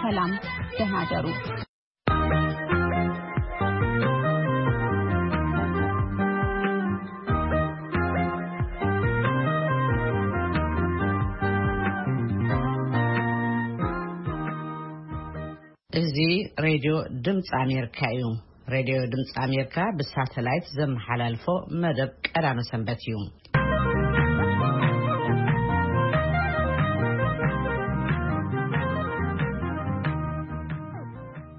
ሰላም፣ ደህና ደሩ። እዚ ሬድዮ ድምፂ ኣሜሪካ እዩ። ሬድዮ ድምፂ ኣሜሪካ ብሳተላይት ዘመሓላልፎ መደብ ቀዳመ ሰንበት እዩ።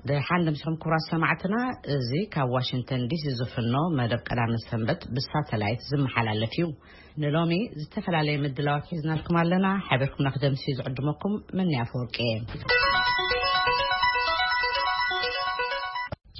ደሓን ደምስኹም ክቡራት ሰማዕትና፣ እዚ ካብ ዋሽንግተን ዲሲ ዝፍኖ መደብ ቀዳመ ሰንበት ብሳተላይት ዝመሓላለፍ እዩ። ንሎሚ ዝተፈላለየ ምድላዋት ሒዝናልኩም ኣለና። ሓቢርኩም ንክደምሲ ዝዕድመኩም መኒ ኣፈወርቂ እየ።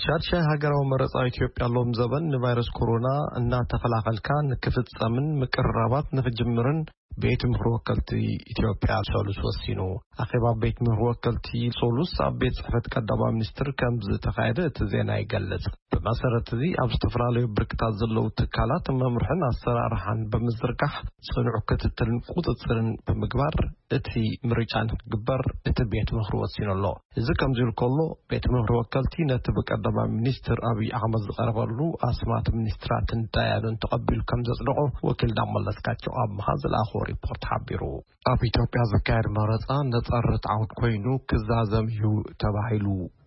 ሻድሻይ ሃገራዊ መረጻ ኢትዮጵያ ሎም ዘበን ንቫይረስ ኮሮና እናተኸላኸልካ ንክፍጸምን ምቅርራባት ንክጅምርን ቤት ምኽሪ ወከልቲ ኢትዮጵያ ሰሉስ ወሲኑ። ኣኼባ ቤት ምኽሪ ወከልቲ ሰሉስ ኣብ ቤት ጽሕፈት ቀዳማይ ሚኒስትር ከም ዝተኻየደ እቲ ዜና ይገልጽ። ብመሰረት እዚ ኣብ ዝተፈላለዩ ብርክታት ዘለዉ ትካላት መምርሕን ኣሰራርሓን ብምዝርጋሕ ጽኑዕ ክትትልን ቁጽጽርን ብምግባር እቲ ምርጫ ንክግበር እቲ ቤት ምኽሪ ወሲኑ ኣሎ። እዚ ከምዚ ኢሉ ከሎ፣ ቤት ምኽሪ ወከልቲ ነቲ ብቀዳማይ ሚኒስትር ኣብይ ኣሕመድ ዝቐረበሉ ኣስማት ሚኒስትራትን ዳያኑን ተቐቢሉ ከም ዘጽደቖ ወኪልና መለስካቸው ኣምሃ ዝለኣኾ ሪፖርት ሓቢሩ። ኣብ ኢትዮጵያ ዝካየድ መረጻ ነጻ ርትዓውን ኮይኑ ክዛዘም እዩ ተባሂሉ።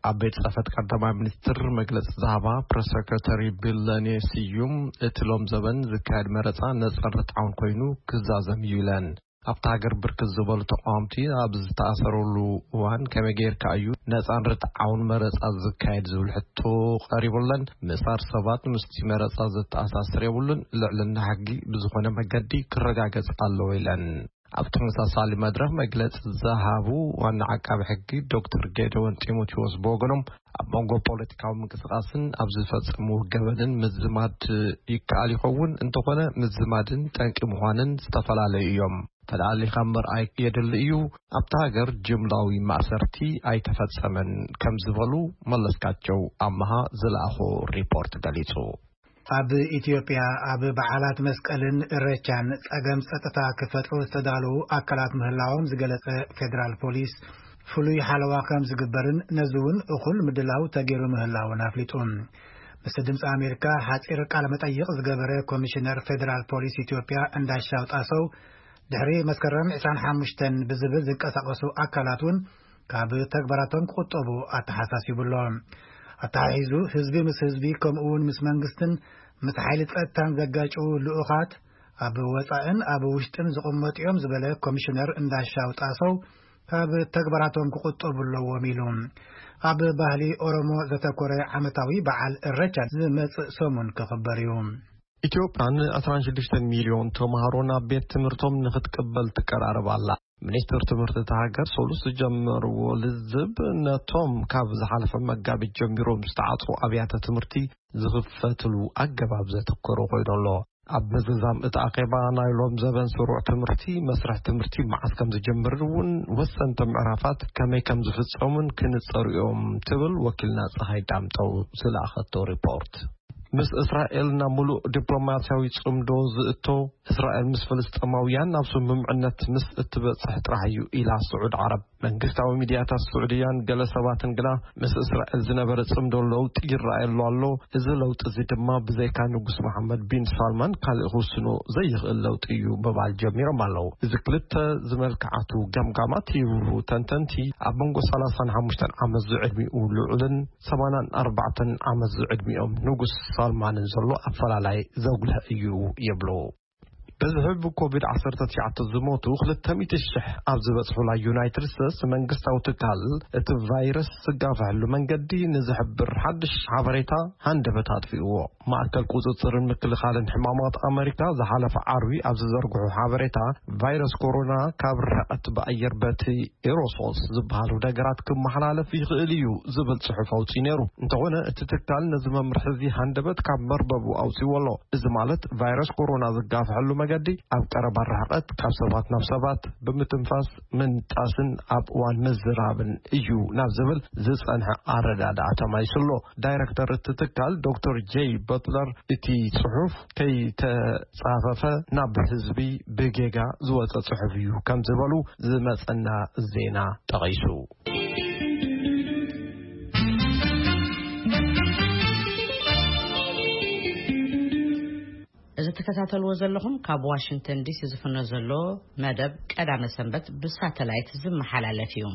ኣብ ቤት ጽሕፈት ቀዳማይ ሚኒስትር መግለጺ ዝሃባ ፕረስ ሰክረተሪ ቢለኔ ስዩም፣ እቲ ሎም ዘበን ዝካየድ መረጻ ነጻ ርትዓውን ኮይኑ ክዛዘም እዩ ኢለን። ኣብታ ሃገር ብርክት ዝበሉ ተቃወምቲ ኣብ ዝተኣሰረሉ እዋን ከመይ ጌርካ እዩ ነጻን ርትዓውን መረጻ ዝካየድ ዝብል ሕቶ ቀሪቡለን። ምእሳር ሰባት ምስቲ መረጻ ዘተኣሳስር የብሉን፣ ልዕልና ሕጊ ብዝኾነ መገዲ ክረጋገጽ ኣለዎ ኢለን። ኣብ ተመሳሳሊ መድረኽ መግለጺ ዝሃቡ ዋና ዓቃቢ ሕጊ ዶክተር ጌደወን ጢሞቴዎስ ብወገኖም፣ ኣብ መንጎ ፖለቲካዊ ምንቅስቃስን ኣብ ዝፈጸምዎ ገበንን ምዝማድ ይከኣል ይኸውን፣ እንተኾነ ምዝማድን ጠንቂ ምዃንን ዝተፈላለዩ እዮም። ተላሊኻ ምርኣይ የድሊ እዩ። ኣብታ ሃገር ጅምላዊ ማእሰርቲ ኣይተፈጸመን ከም ዝበሉ መለስካቸው ኣመሃ ዝለኣኾ ሪፖርት ገሊጹ። ኣብ ኢትዮጵያ ኣብ በዓላት መስቀልን እረቻን ጸገም ጸጥታ ክፈጥሩ ዝተዳለዉ ኣካላት ምህላዎም ዝገለጸ ፌደራል ፖሊስ፣ ፍሉይ ሓለዋ ከም ዝግበርን ነዚ እውን እኹል ምድላው ተገይሩ ምህላውን ኣፍሊጡ። ምስ ድምፂ ኣሜሪካ ሓፂር ቃለ መጠይቕ ዝገበረ ኮሚሽነር ፌደራል ፖሊስ ኢትዮጵያ እንዳሻው ጣሰው፣ ድሕሪ መስከረም ዕስራን ሓሙሽተን ብዝብል ዝንቀሳቐሱ ኣካላት እውን ካብ ተግባራቶም ክቑጠቡ ኣተሓሳሲቡ ኣሎ። ኣተሓሒዙ ህዝቢ ምስ ህዝቢ ከምኡ እውን ምስ መንግስትን ምስ ሓይሊ ጸጥታን ዘጋጭዉ ልኡኻት ኣብ ወጻእን ኣብ ውሽጥን ዝቕመጡ እዮም ዝበለ ኮሚሽነር እንዳሻው ጣሰው፣ ካብ ተግባራቶም ክቑጠቡ ኣለዎም ኢሉ። ኣብ ባህሊ ኦሮሞ ዘተኮረ ዓመታዊ በዓል እረቻ ዝመጽእ ሰሙን ክኽበር እዩ። ኢትዮጵያ ን ዕስራን ሽዱሽተን ሚልዮን ተምሃሮ ናብ ቤት ትምህርቶም ንክትቅበል ትቀራረብ ኣላ። ሚኒስትር ትምህርቲ እታ ሃገር ሰሉስ ዝጀመርዎ ልዝብ ነቶም ካብ ዝሓለፈ መጋቢት ጀሚሮም ዝተዓጽዉ ኣብያተ ትምህርቲ ዝኽፈትሉ ኣገባብ ዘተኮረ ኮይኑ ኣሎ። ኣብ ምዝዛም እቲ ኣኼባ ናይ ሎም ዘበን ስሩዕ ትምህርቲ፣ መስርሕ ትምህርቲ መዓስ ከም ዝጀምርን እውን ወሰንቲ ምዕራፋት ከመይ ከም ዝፍጸሙን ክንጸሩ እዮም ትብል ወኪልና ጸሃይ ዳምጠው ዝለኣኸቶ ሪፖርት። ምስ እስራኤል ናብ ምሉእ ዲፕሎማስያዊ ጽምዶ ዝእቶ፣ እስራኤል ምስ ፍልስጤማውያን ናብ ስምምዕነት ምስ እትበጽሕ ጥራሕ እዩ ኢላ ስዑድ ዓረብ። መንግስታዊ ሚድያታት ስዑድያን ገለ ሰባትን ግና ምስ እስራኤል ዝነበረ ጽምዶ ለውጢ ይረኣየሉ ኣሎ፣ እዚ ለውጢ እዚ ድማ ብዘይካ ንጉስ መሓመድ ቢን ሳልማን ካልእ ክውስኖ ዘይኽእል ለውጢ እዩ ምባል ጀሚሮም ኣለዉ። እዚ ክልተ ዝመልክዓቱ ገምጋማት ይብሉ ተንተንቲ፣ ኣብ መንጎ ሰላሳን ሓሙሽተን ዓመት ዝዕድሚኡ ልዑልን ሰማንያን ኣርባዕተን ዓመት ዝዕድሚኦም ንጉስ ሳልማንን ዘሎ ኣፈላላይ ዘጉልህ እዩ ይብሉ። በዚ ሕቢ ኮቪድ ዓሰርተ ትሽዓተ ዝሞቱ ክልተ ሚእቲ ሽሕ ኣብ ዝበጽሑላ ዩናይትድ ስቴትስ፣ መንግስታዊ ትካል እቲ ቫይረስ ዝጋፍሐሉ መንገዲ ንዝሕብር ሓድሽ ሓበሬታ ሃንደበት ኣጥፊእዎ። ማእከል ቁጽጽርን ምክልኻልን ሕማማት ኣመሪካ ዝሓለፈ ዓርቢ ኣብ ዝዘርግሑ ሓበሬታ፣ ቫይረስ ኮሮና ካብ ርሕቀት ብኣየር በቲ ኤሮሶልስ ዝበሃሉ ነገራት ክመሓላለፍ ይኽእል እዩ ዝብል ጽሑፍ ኣውጺኡ ነይሩ። እንተኾነ እቲ ትካል ነዚ መምርሒ እዚ ሃንደበት ካብ መርበቡ ኣውጺዎ ኣሎ። እዚ ማለት ቫይረስ ኮሮና ዝጋፍሐሉ መገዲ ኣብ ቀረባ ርሕቀት ካብ ሰባት ናብ ሰባት ብምትንፋስ፣ ምንጣስን ኣብ እዋን ምዝራብን እዩ ናብ ዝብል ዝጸንሐ ኣረዳድኣ ተማይሱ ኣሎ። ዳይረክተር እቲ ትካል ዶክተር ጄይ በትለር እቲ ጽሑፍ ከይተጻፈፈ ናብ ህዝቢ ብጌጋ ዝወጸ ጽሑፍ እዩ ከም ዝበሉ ዝመጸና ዜና ጠቒሱ። ትከታተልዎ ዘለኹም ካብ ዋሽንግተን ዲሲ ዝፍኖ ዘሎ መደብ ቀዳመ ሰንበት ብሳተላይት ዝመሓላለፍ እዩ።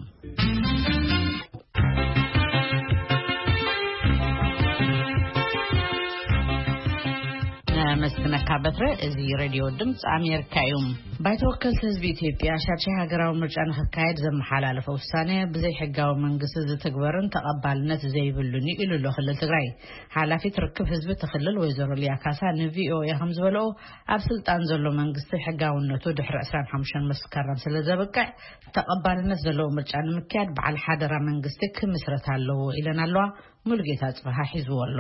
ነመስግነካ በትረ። እዚ ሬድዮ ድምፂ ኣሜሪካ እዩ። ባይቶ ወከልቲ ህዝቢ ኢትዮጵያ ሻድሻይ ሃገራዊ ምርጫ ንክካየድ ዘመሓላለፈ ውሳነ ብዘይ ሕጋዊ መንግስቲ ዝትግበርን ተቐባልነት ዘይብሉን እዩ ኢሉ ኣሎ ክልል ትግራይ። ሓላፊት ርክብ ህዝቢ እቲ ክልል ወይዘሮ ሊያ ካሳ ንቪኦኤ ከም ዝበለኦ፣ ኣብ ስልጣን ዘሎ መንግስቲ ሕጋውነቱ ድሕሪ ዕስራን ሓሙሽተን መስከረም ስለ ዘብቅዕ፣ ተቐባልነት ዘለዎ ምርጫ ንምክያድ በዓል ሓደራ መንግስቲ ክምስረት ኣለዎ ኢለን ኣለዋ። ሙሉጌታ ጽበሃ ሒዝዎ ኣሎ።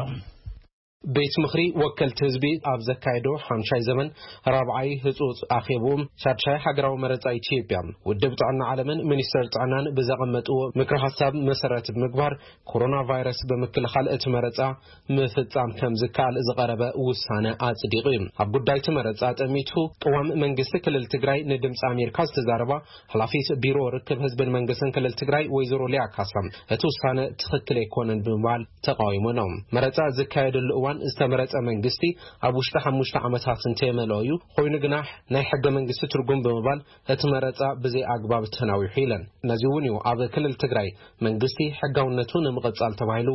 ቤት ምኽሪ ወከልቲ ህዝቢ ኣብ ዘካየዶ ሓምሻይ ዘመን ራብዓይ ህጹጽ ኣኼቡ፣ ሻድሻይ ሃገራዊ መረጻ ኢትዮጵያ፣ ውድብ ጥዕና ዓለምን ሚኒስተር ጥዕናን ብዘቐመጥዎ ምክረ ሓሳብ መሰረት ብምግባር፣ ኮሮና ቫይረስ ብምክልኻል እቲ መረጻ ምፍጻም ከም ዝከኣል ዝቐረበ ውሳነ ኣጽዲቑ እዩ። ኣብ ጉዳይ እቲ መረጻ ጠሚቱ ቅዋም መንግስቲ ክልል ትግራይ ንድምፂ ኣሜሪካ ዝተዛረባ ሓላፊት ቢሮ ርክብ ህዝብን መንግስትን ክልል ትግራይ ወይዘሮ ሊያ ካሳ፣ እቲ ውሳነ ትኽክል ኣይኮነን ብምባል ተቃዊሞኖም። መረጻ ዝካየደሉ እዋን ዝተመረጸ መንግስቲ ኣብ ውሽጢ ሓሙሽተ ዓመታት እንተየመልኦ እዩ፣ ኮይኑ ግና ናይ ሕገ መንግስቲ ትርጉም ብምባል እቲ መረጻ ብዘይ ኣግባብ ተናዊሑ ኢለን። ነዚ እውን እዩ ኣብ ክልል ትግራይ መንግስቲ ሕጋውነቱ ንምቕጻል ተባሂሉ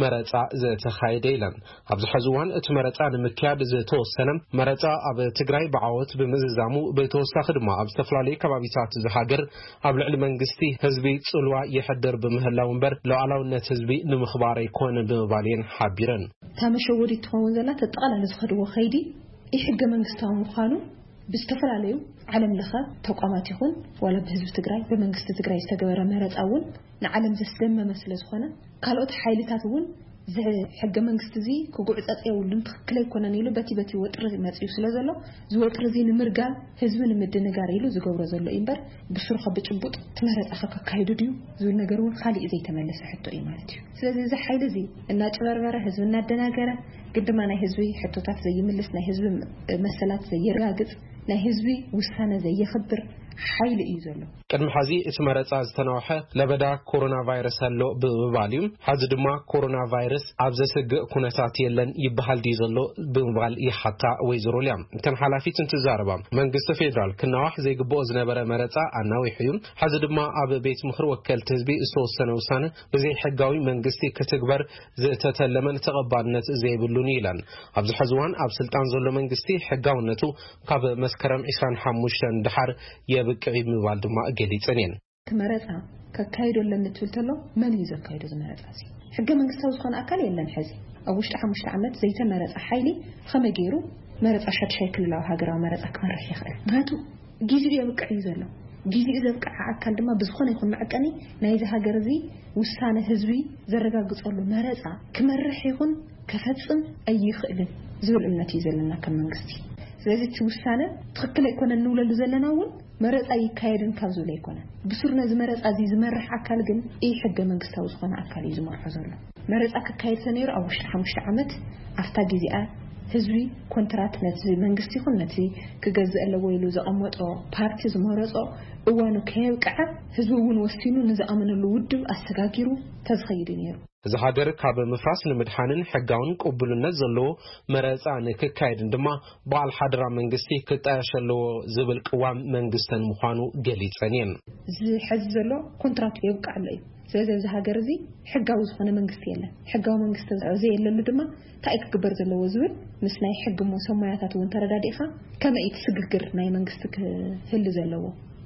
መረጻ ዝተኻየደ ኢለን። ኣብዚ ሕዚ እዋን እቲ መረጻ ንምክያድ ዝተወሰነ መረጻ ኣብ ትግራይ ብዓወት ብምዝዛሙ፣ ብተወሳኺ ድማ ኣብ ዝተፈላለዩ ከባቢታት እዚ ሃገር ኣብ ልዕሊ መንግስቲ ህዝቢ ጽልዋ ይሕድር ብምህላው እምበር፣ ሉዓላውነት ህዝቢ ንምኽባር ኣይኮነን ብምባል እየን ሓቢረን። እታ መሸወዲት ትኸውን ዘላ፣ ተጠቓላሊ ዝኸድዎ ኸይዲ ኢ ሕገ መንግስታዊ ምዃኑ ብዝተፈላለዩ ዓለም ለኸ ተቋማት ይኹን ዋላ ብህዝቢ ትግራይ፣ ብመንግስቲ ትግራይ ዝተገበረ መረፃ እውን ንዓለም ዘስደመመ ስለ ዝኾነ፣ ካልኦት ሓይልታት እውን እዚ ሕገ መንግስቲ እዚ ክጉዕፀፅ የብሉን፣ ትኽክል ኣይኮነን ኢሉ በቲ በቲ ወጥሪ መፅዩ ስለ ዘሎ፣ እዚ ወጥሪ እዚ ንምርጋም፣ ህዝቢ ንምድንጋር ኢሉ ዝገብሮ ዘሎ እዩ እምበር፣ ብስሩ ካብ ብጭቡጥ እቲ መረፃ ከካይዱ ድዩ ዝብል ነገር እውን ካሊእ ዘይተመለሰ ሕቶ እዩ ማለት እዩ። ስለዚ እዚ ሓይሊ እዚ እናጭበርበረ፣ ህዝቢ እናደናገረ፣ ግን ድማ ናይ ህዝቢ ሕቶታት ዘይምልስ፣ ናይ ህዝቢ መሰላት ዘየረጋግጽ፣ ናይ ህዝቢ ውሳነ ዘየኽብር ሓይሊ እዩ ዘሎ። ቅድሚ ሐዚ እቲ መረፃ ዝተናውሐ ለበዳ ኮሮና ቫይረስ ኣሎ ብምባል እዩ። ሐዚ ድማ ኮሮና ቫይረስ ኣብ ዘስግእ ኩነታት የለን ይበሃል ድዩ ዘሎ ብምባል ይሓታ ወይዘሮ ሊያ። እተን ሓላፊት እንትዛረባ፣ መንግስቲ ፌዴራል ክናዋሕ ዘይግብኦ ዝነበረ መረፃ ኣናዊሑ እዩ። ሐዚ ድማ ኣብ ቤት ምኽሪ ወከልቲ ህዝቢ ዝተወሰነ ውሳነ ብዘይ ሕጋዊ መንግስቲ ክትግበር ዝተተለመን ተቐባልነት ዘይብሉን ኢለን። ኣብዚ ሕዚ እዋን ኣብ ስልጣን ዘሎ መንግስቲ ሕጋውነቱ ካብ መስከረም ዕስራን ሓሙሽተን ደሓር የብቅዕ ብምባል ድማ ገሊጸን እየን። እቲ መረፃ ከካይዶ ኣለኒ ትብል ተሎ፣ መን እዩ ዘካይዶ እዚ መረፃ እዚ? ሕገ መንግስታዊ ዝኾነ ኣካል የለን። ሕዚ ኣብ ውሽጢ ሓሙሽተ ዓመት ዘይተመረፀ ሓይሊ ከመይ ገይሩ መረፃ ሻድሻይ ክልላዊ ሃገራዊ መረፃ ክመርሕ ይኽእል? ምክንያቱ ጊዜኡ የብቅዕ እዩ ዘሎ። ጊዜኡ ዘብቅዐ ኣካል ድማ ብዝኾነ ይኹን መዐቀኒ ናይዚ ሃገር እዚ ውሳነ ህዝቢ ዘረጋግጸሉ መረጻ ክመርሕ ይኹን ከፈጽም ኣይኽእልን ዝብል እምነት እዩ ዘለና ከም መንግስቲ። ስለዚ እቲ ውሳነ ትኽክል ኣይኮነን እንብለሉ ዘለና እውን መረጻ ይካየድን ካብ ዝብል ኣይኮነን። ብሱር ነዚ መረጻ እዚ ዝመርሕ ኣካል ግን ኢ ሕገ መንግስታዊ ዝኾነ ኣካል እዩ ዝመርሖ ዘሎ። መረጻ ክካየድ ተነይሩ ኣብ ውሽጢ ሓሙሽተ ዓመት ኣብታ ግዜኣ ህዝቢ ኮንትራት ነቲ መንግስቲ ይኹን ነቲ ክገዝእ ኣለዎ ኢሉ ዘቐመጦ ፓርቲ ዝመረጾ እዋኑ ከየብቅዐ ህዝቢ እውን ወሲኑ ንዝኣመነሉ ውድብ ኣሰጋጊሩ ተዝኸይድ እዩ ነይሩ። እዚ ሃገር ካብ ምፍራስ ንምድሓንን ሕጋውን ቅቡልነት ዘለዎ መረጻ ንክካየድን ድማ በዓል ሓደራ መንግስቲ ክጣየሽ ኣለዎ ዝብል ቅዋም መንግስተን ምዃኑ ገሊጸን እየን። እዚ ሕዚ ዘሎ ኮንትራቱ የብቅዕ ኣሎ እዩ። ስለዚ ኣብዚ ሃገር እዚ ሕጋዊ ዝኾነ መንግስቲ የለን። ሕጋዊ መንግስቲ ዘየለሉ ድማ እንታይ ክግበር ዘለዎ ዝብል ምስ ናይ ሕጊ ሞ ሰሞያታት እውን ተረዳዲእኻ ከመይ እቲ ስግግር ናይ መንግስቲ ክህሉ ዘለዎ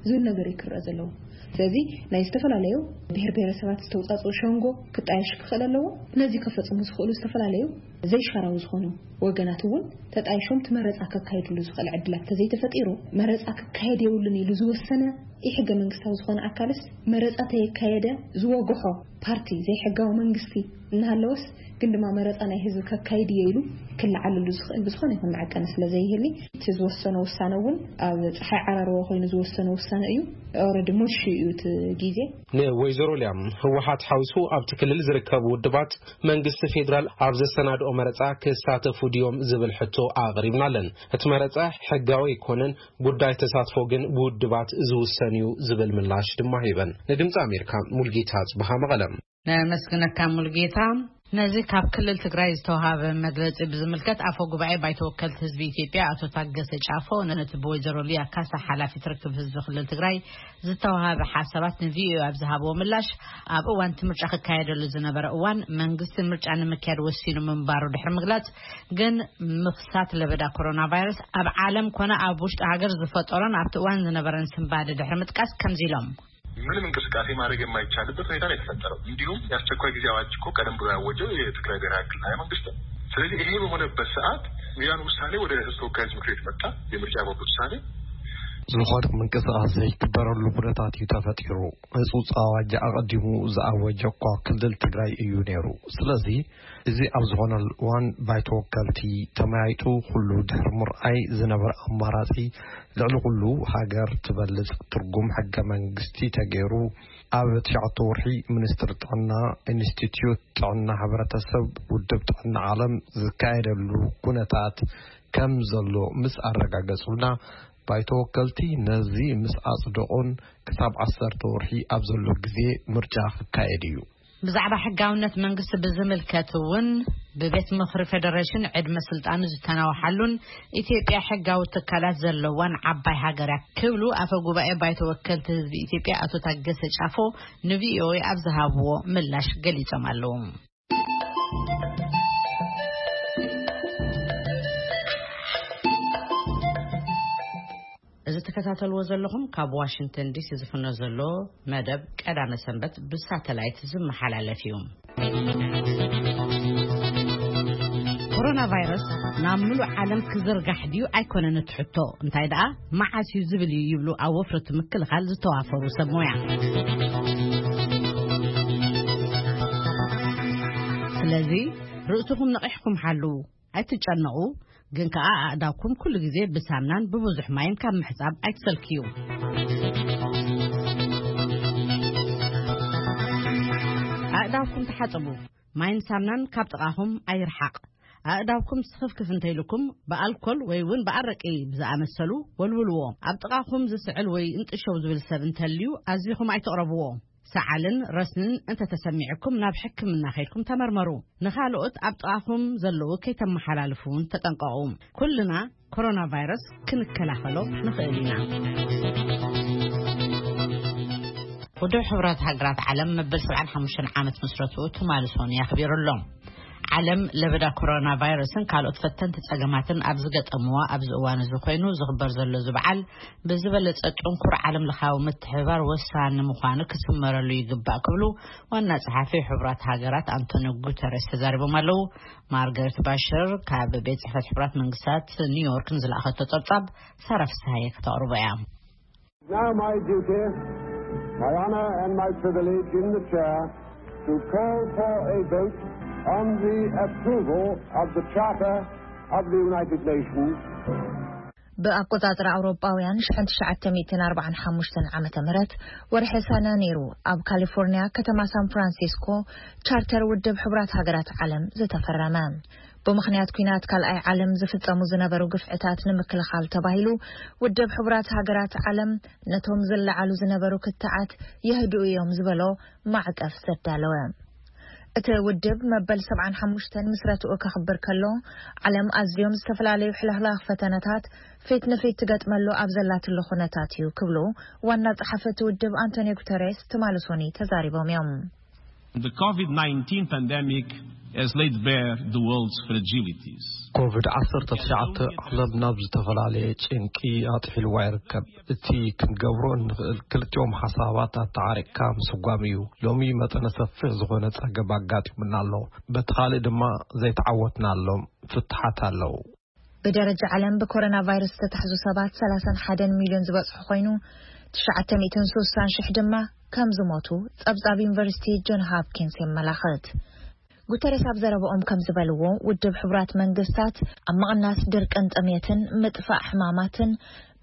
ዝብል ነገር እዩ ክረአ ዘለዎ። ስለዚ ናይ ዝተፈላለዩ ብሔር ብሔረሰባት ዝተውፃፅኡ ሸንጎ ክጣየሽ ክኽእል ኣለዎ። ነዚ ከፈፅሙ ዝኽእሉ ዝተፈላለዩ ዘይሻራዊ ዝኾኑ ወገናት እውን ተጣይሾም እቲ መረፃ ከካይድሉ ዝኽእል ዕድላት ተዘይተፈጢሩ መረፃ ክካየድ የብሉን ኢሉ ዝወሰነ ኢ ሕገ መንግስታዊ ዝኾነ ኣካልስ መረፃ ተየካየደ ዝወግሖ ፓርቲ ዘይሕጋዊ መንግስቲ እናሃለወስ ግን ድማ መረፃ ናይ ህዝቢ ከካይድ እየ ኢሉ ክለዓለሉ ዝኽእል ብዝኾነ ይኹን መዐቀኒ ስለ ዘይህሊ እቲ ዝወሰነ ውሳነ እውን ኣብ ፀሓይ ዓራርቦ ኮይኑ ዝወሰነ ውሳነ እዩ። ኦረዲ ሙሽ እዩ እቲ ግዜ። ንወይዘሮ ሊያም ህወሓት ሓዊሱ ኣብቲ ክልል ዝርከቡ ውድባት መንግስቲ ፌዴራል ኣብ ዘሰናድኦ መረፃ ክሳተፉ ድዮም ዝብል ሕቶ ኣቕሪብናለን። እቲ መረፃ ሕጋዊ ኣይኮነን፣ ጉዳይ ተሳትፎ ግን ብውድባት ዝውሰን እዩ ዝብል ምላሽ ድማ ሂበን። ንድምፂ ኣሜሪካ ሙልጌታ ጽብሃ መቐለም። ነመስግነካ ሙልጌታ። ነዚ ካብ ክልል ትግራይ ዝተዋሃበ መግለጺ ብዝምልከት፣ ኣፈ ጉባኤ ባይቶ ወከልቲ ህዝቢ ኢትዮጵያ ኣቶ ታገሰ ጫፎ ነቲ ብወይዘሮ ሊያ ካሳ ሓላፊት ርክብ ህዝቢ ክልል ትግራይ ዝተዋሃበ ሓሳባት ንቪኦኤ ኣብ ዝሃብዎ ምላሽ፣ ኣብ እዋን እቲ ምርጫ ክካየደሉ ዝነበረ እዋን መንግስቲ ምርጫ ንምክያድ ወሲኑ ምንባሩ ድሕሪ ምግላጽ፣ ግን ምኽሳት ለበዳ ኮሮና ቫይረስ ኣብ ዓለም ኮነ ኣብ ውሽጢ ሃገር ዝፈጠሮን ኣብቲ እዋን ዝነበረን ስንባደ ድሕሪ ምጥቃስ ከምዚ ኢሎም። ምንም እንቅስቃሴ ማድረግ የማይቻልበት ሁኔታ ነው የተፈጠረው። እንዲሁም የአስቸኳይ ጊዜ አዋጅ እኮ ቀደም ብሎ ያወጀው የትግራይ ብሔራዊ ክልላዊ መንግስት ነው። ስለዚህ ይሄ በሆነበት ሰዓት ያን ውሳኔ ወደ ህዝብ ተወካዮች ምክር ቤት መጣ። የምርጫ ቦርድ ውሳኔ። ዝኾነ ምንቅስቃስ ዘይግበረሉ ኩነታት እዩ ተፈጢሩ። ህጹጽ ኣዋጅ ኣቐዲሙ ዝኣወጀ እኳ ክልል ትግራይ እዩ ነይሩ። ስለዚ እዚ ኣብ ዝኾነሉ እዋን ባይቶ ወከልቲ ተመያይጡ ኩሉ ድሕሪ ምርኣይ ዝነበረ ኣማራጺ ልዕሊ ኩሉ ሃገር ትበልጽ ትርጉም ሕገ መንግስቲ ተገይሩ ኣብ ትሽዓተ ወርሒ ሚኒስትሪ ጥዕና ኢንስቲትዩት ጥዕና ሕብረተሰብ ውድብ ጥዕና ዓለም ዝካየደሉ ኩነታት ከም ዘሎ ምስ ኣረጋገጹልና ባይቶ ወከልቲ ነዚ ምስ ኣጽደቑን ክሳብ ዓሰርተ ወርሒ ኣብ ዘሎ ግዜ ምርጫ ክካየድ እዩ። ብዛዕባ ሕጋውነት መንግስቲ ብዝምልከት እውን ብቤት ምኽሪ ፌደሬሽን ዕድመ ስልጣኑ ዝተናውሓሉን ኢትዮጵያ ሕጋዊ ትካላት ዘለዋን ዓባይ ሃገር እያ ክብሉ ኣፈ ጉባኤ ባይቶ ወከልቲ ህዝቢ ኢትዮጵያ ኣቶ ታገሰ ጫፎ ንቪኦኤ ኣብ ዝሃብዎ ምላሽ ገሊጾም ኣለዉ። እዚ ትከታተልዎ ዘለኹም ካብ ዋሽንግተን ዲሲ ዝፍኖ ዘሎ መደብ ቀዳመ ሰንበት ብሳተላይት ዝመሓላለፍ እዩ። ኮሮና ቫይረስ ናብ ምሉእ ዓለም ክዝርጋሕ ድዩ ኣይኮነን እቲ ሕቶ፣ እንታይ ደኣ መዓስ እዩ ዝብል እዩ ይብሉ ኣብ ወፍሪ እቲ ምክልኻል ዝተዋፈሩ ሰብ ሞያ። ስለዚ ርእስኹም ነቒሕኩም ሓልዉ። ኣይትጨነቑ፣ ግን ከኣ ኣእዳውኩም ኩሉ ግዜ ብሳምናን ብብዙሕ ማይን ካብ ምሕጻብ ኣይትሰልክዩ። ኣእዳውኩም ተሓጸቡ፣ ማይን ሳምናን ካብ ጥቓኹም ኣይርሓቕ። ኣእዳውኩም ስኽፍክፍ እንተኢልኩም ብኣልኮል ወይ እውን ብኣረቂ ብዝኣመሰሉ ወልውልዎ። ኣብ ጥቓኹም ዝስዕል ወይ እንጥሸው ዝብል ሰብ እንተልዩ ኣዚኹም ኣይትቕረብዎ። ሰዓልን ረስንን እንተተሰሚዕኩም ናብ ሕክምና ከይድኩም ተመርመሩ። ንኻልኦት ኣብ ጥቓኹም ዘለዉ ከይተመሓላልፉ እውን ተጠንቀቑ። ኩልና ኮሮና ቫይረስ ክንከላኸሎ ንኽእል ኢና። ውድብ ሕቡራት ሃገራት ዓለም መበል ሰብዓን ሓሙሽተን ዓመት ምስረትኡ ትማሊ ሰኑይ ኣኽቢሩ ኣሎ። ዓለም ለበዳ ኮሮና ቫይረስን ካልኦት ፈተንቲ ጸገማትን ኣብ ዝገጠምዋ ኣብዚ እዋን እዚ ኮይኑ ዝኽበር ዘሎ እዚ በዓል ብዝበለጸ ጥንኩር ዓለም ለኻዊ ምትሕብባር ወሳኒ ምዃኑ ክስመረሉ ይግባእ ክብሉ ዋና ጸሓፊ ሕቡራት ሃገራት ኣንቶኒዮ ጉተረስ ተዛሪቦም ኣለዉ። ማርገሬት ባሽር ካብ ቤት ጽሕፈት ሕቡራት መንግስታት ኒውዮርክ ንዝለኣኸቶ ጸብጻብ ሳራ ፍስሃየ ከተቕርቦ እያ። Now my duty, my honor and my privilege in the chair to call for a vote on the approval of the Charter of the United Nations. ብኣቆጻጽራ ኣውሮጳውያን ሸሕን ትሽዓተ ሚእትን ኣርባዓን ሓሙሽተን ዓመተ ምህረት ወርሒ ሰነ ነይሩ ኣብ ካሊፎርኒያ ከተማ ሳን ፍራንሲስኮ ቻርተር ውድብ ሕቡራት ሃገራት ዓለም ዝተፈረመ። ብምኽንያት ኲናት ካልኣይ ዓለም ዝፍጸሙ ዝነበሩ ግፍዕታት ንምክልኻል ተባሂሉ ውድብ ሕቡራት ሃገራት ዓለም ነቶም ዝለዓሉ ዝነበሩ ክትዓት የህድኡ እዮም ዝበሎ ማዕቀፍ ዘዳለወ። እቲ ውድብ መበል ሰብዓን ሓሙሽተን ምስረትኡ ከኽብር ከሎ ዓለም ኣዝዮም ዝተፈላለዩ ሕልኽላኽ ፈተነታት ፊት ንፊት ትገጥመሉ ኣብ ዘላትሉ ኩነታት እዩ ክብሉ ዋና ጸሓፊ እቲ ውድብ ኣንቶኒዮ ጉተሬስ ትማሊ ሶኒ ተዛሪቦም እዮም። The COVID nineteen pandemic has laid bare the world's fragilities. ኮቪድ ዓሰርተ ትሽዓተ ዓለም ናብ ዝተፈላለየ ጭንቂ ኣጥሒልዋ ይርከብ። እቲ ክንገብሮ እንኽእል ክልቲኦም ሓሳባት ኣተዓሪቕካ ምስጓም እዩ። ሎሚ መጠነ ሰፊሕ ዝኾነ ጸገም ኣጋጢሙና ኣሎ። በቲ ካልእ ድማ ዘይተዓወትናሎም ፍትሓት ኣለዉ። ብደረጃ ዓለም ብኮሮና ቫይረስ ዝተታሕዙ ሰባት ሰላሳን ሓደን ሚልዮን ዝበጽሑ ኮይኑ፣ ትሽዓተ ሚእትን ስሳን ሽሕ ድማ ከም ዝሞቱ ጸብጻብ ዩኒቨርሲቲ ጆን ሃፕኪንስ የመላኽት። ጉተሬስ ኣብ ዘረባኦም ከም ዝበልዎ፣ ውድብ ሕቡራት መንግስታት ኣብ ምቕናስ ድርቅን ጥሜትን ምጥፋእ ሕማማትን